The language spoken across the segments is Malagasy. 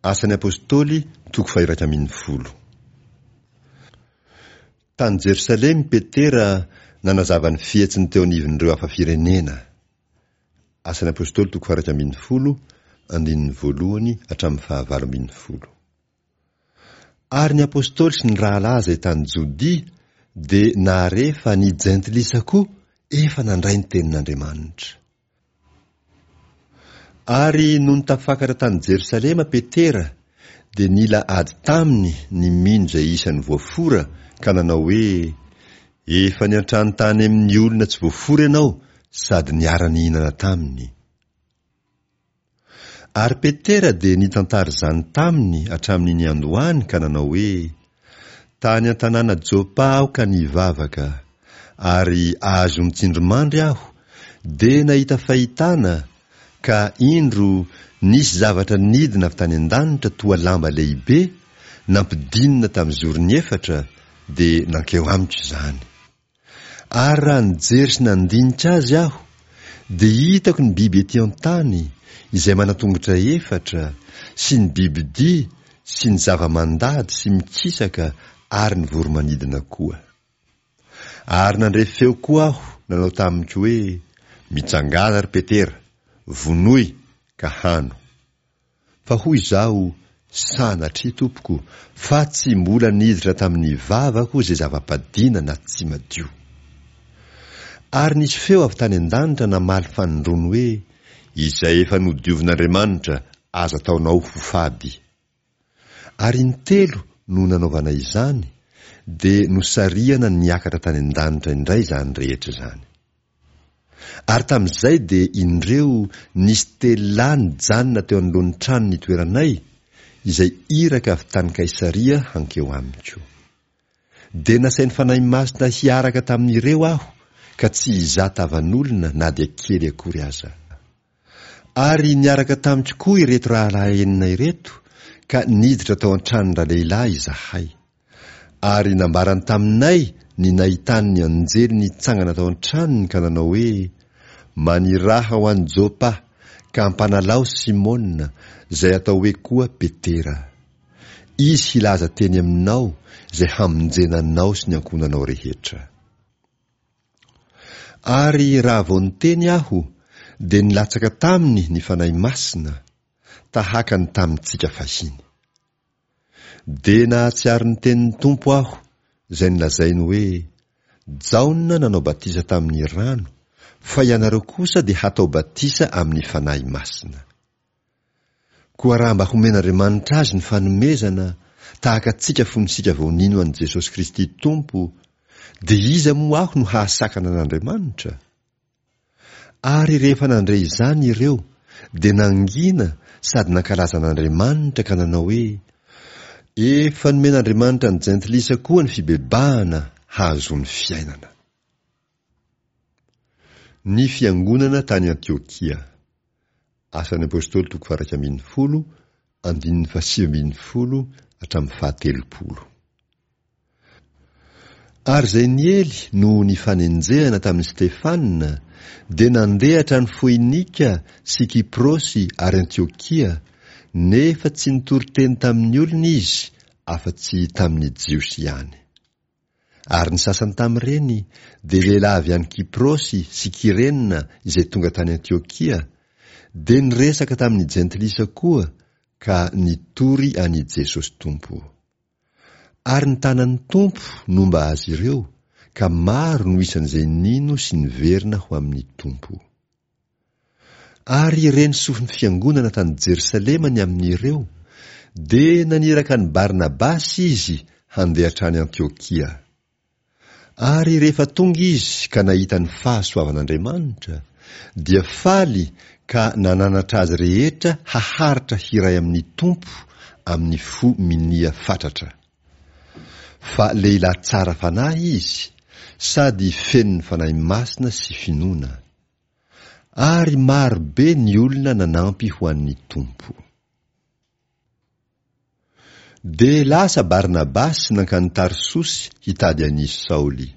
Asan'ny Apostoly, toko faha-11. Tany Jerosalema i Petera nanazava ny fihetsiny teo anivon'ireo hafa firenena. Asan'ny Apostoly toko faha-11, andininy voalohany hatramin'ny faha-18. Ary ny Apostoly sy ny rahalahy izay tany Jodia dia nahare fa ny Jentilisa koa efa nandray ny tenin'Andriamanitra. Ary nony tafakatra tany Jerosalema Petera, dia nila ady taminy ny mino izay isan'ny voafora ka nanao hoe, Efa niantrano tany amin'ny olona tsy voafora ianao sady niara-nihinana taminy. Ary Petera dia nitantara izany taminy hatramin'ny niandohany ka nanao hoe, Tany an-tanàna Jopa aho ka nivavaka, ary azon-tsindrimandry aho, dia nahita fahitana, ka indro nisy zavatra nidina avy tany an-danitra toa lamba lehibe, nampidinina tamin'ny zorony efatra, dia nankeo amiko izany. Ary raha nijery sy nandinika azy aho, dia hitako ny biby ety an-tany, izay manan-tongotra efatra, sy ny bibidia, sy ny zava-mandady sy mikisaka ary ny voro-manidina koa. Ary nandre feo koa aho nanao tamiko hoe, Mitsangàna, ry Petera, vonoy ka hano. Fa hoy izaho, Sanatria, tompoko, fa tsy mbola niditra tamin'ny vavako izay zava-padiana na tsy madio. Ary nisy feo avy tany an-danitra namaly fanindroany hoe, Izay efa nodiovin'Andriamanitra, aza ataonao ho fady. Ary intelo no nanaovana izany, dia nosarihana niakatra tany an-danitra indray izany rehetra izany. Ary tamin'izay dia indreo nisy telo lahy nijanona teo anoloan'ny trano nitoeranay, izay iraka avy tany Kaisaria hankeo amiko. Dia nasain'ny Fanahy Masina hiaraka tamin'ireo aho, ka tsy hizaha tavan'olona na dia kely akory aza. Ary niaraka tamiko koa ireto rahalahy enina ireto, ka niditra tao an-tranon-dralehilahy izahay. Ary nambarany taminay ny nahitany ny anjely nitsangana tao an-tranony ka nanao hoe, Maniraha ho any Jopa, ka ampanalao Simona, izay atao hoe koa Petera. Izy hilaza teny aminao izay hamonjena anao sy ny ankohonanao rehetra. Ary raha vao niteny aho, dia nilatsaka taminy ny Fanahy Masina, tahaka ny tamintsika fahiny. Dia nahatsiaro ny tenin'ny Tompo aho, izay nolazainy hoe, Jaona nanao batisa tamin'ny rano, fa ianareo kosa dia hatao batisa amin'ny Fanahy Masina. Koa raha mba homen'Andriamanitra azy ny fanomezana, tahaka antsika fony isika vao nino an'i Jesosy Kristy Tompo, dia iza moa aho no hahasakana an'Andriamanitra? Ary rehefa nandre izany ireo, dia nangina sady nankalaza an'Andriamanitra ka nanao hoe, Efa nomen'Andriamanitra ny jentilisa koa ny fibebahana hahazoany fiainana. Ny fiangonana tany Antiokia. Asan'ny Apostoly toko faha-11, andininy faha-19 hatramin'ny faha-30. Ary izay niely noho ny fanenjehana tamin'i Stefana dia nandeha hatrany Foinika sy Kyprosy ary Antiokia, nefa tsy nitory teny tamin'ny olona izy afa-tsy tamin'ny Jiosy ihany. Ary ny sasany tamin'ireny dia lehilahy avy any Kyprosy sy Kyrena izay tonga tany Antiokia, dia niresaka tamin'ny Jentilisa koa ka nitory an'i Jesosy Tompo. Ary ny tanan'ny Tompo nomba azy ireo, ka maro no isan'izay nino sy niverina ho amin'ny Tompo. Ary ireny sofin'ny fiangonana tany Jerosalema ny amin'ireo, dia naniraka an'i Barnabasy izy handeha hatrany Antiokia. Ary rehefa tonga izy ka nahita ny fahasoavan'Andriamanitra, dia faly ka nananatra azy rehetra haharitra hiray amin'ny Tompo amin'ny fo minia fatratra. Fa lehilahy tsara fanahy izy, sady feno ny Fanahy Masina sy finoana. Ary maro be ny olona nanampy ho an'ny Tompo. Dia lasa Barnabasy nankany Tarsosy hitady an'i Saoly.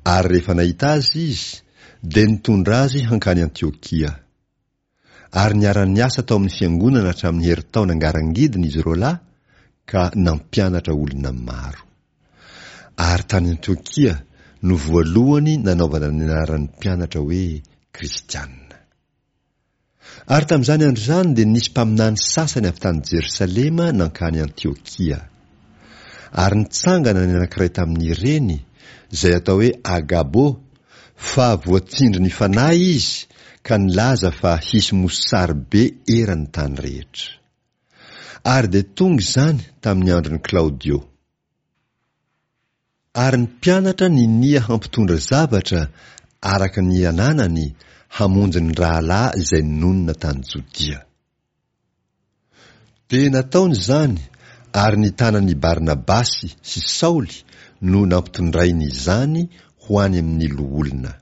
Ary rehefa nahita azy izy, dia nitondra azy hankany Antiokia. Ary niara-niasa tao amin'ny fiangonana hatramin'ny herintaona ngarangidina izy roalahy ka nampianatra olona maro. Ary tany Antiokia no voalohany nanaovana ny anaran'ny mpianatra hoe Kristiana. Ary tamin'izany andro izany dia nisy mpaminany sasany avy tany Jerosalema nankany Antiokia. Ary nitsangana ny anankiray tamin'ireny, izay atao hoe Agabo, fa voatsindrin'ny Fanahy izy ka nilaza fa hisy mosary be eran'ny tany rehetra. Ary dia tonga izany tamin'ny andron'i Klaodio. Ary ny mpianatra ninia hampitondra zavatra araka ny ananany hamonjy ny rahalahy izay nonina tany Jodia. Dia nataony izany, ary ny tanan' i Barnabasy sy Saoly no nampitondrainy izany ho any amin' ny loholona.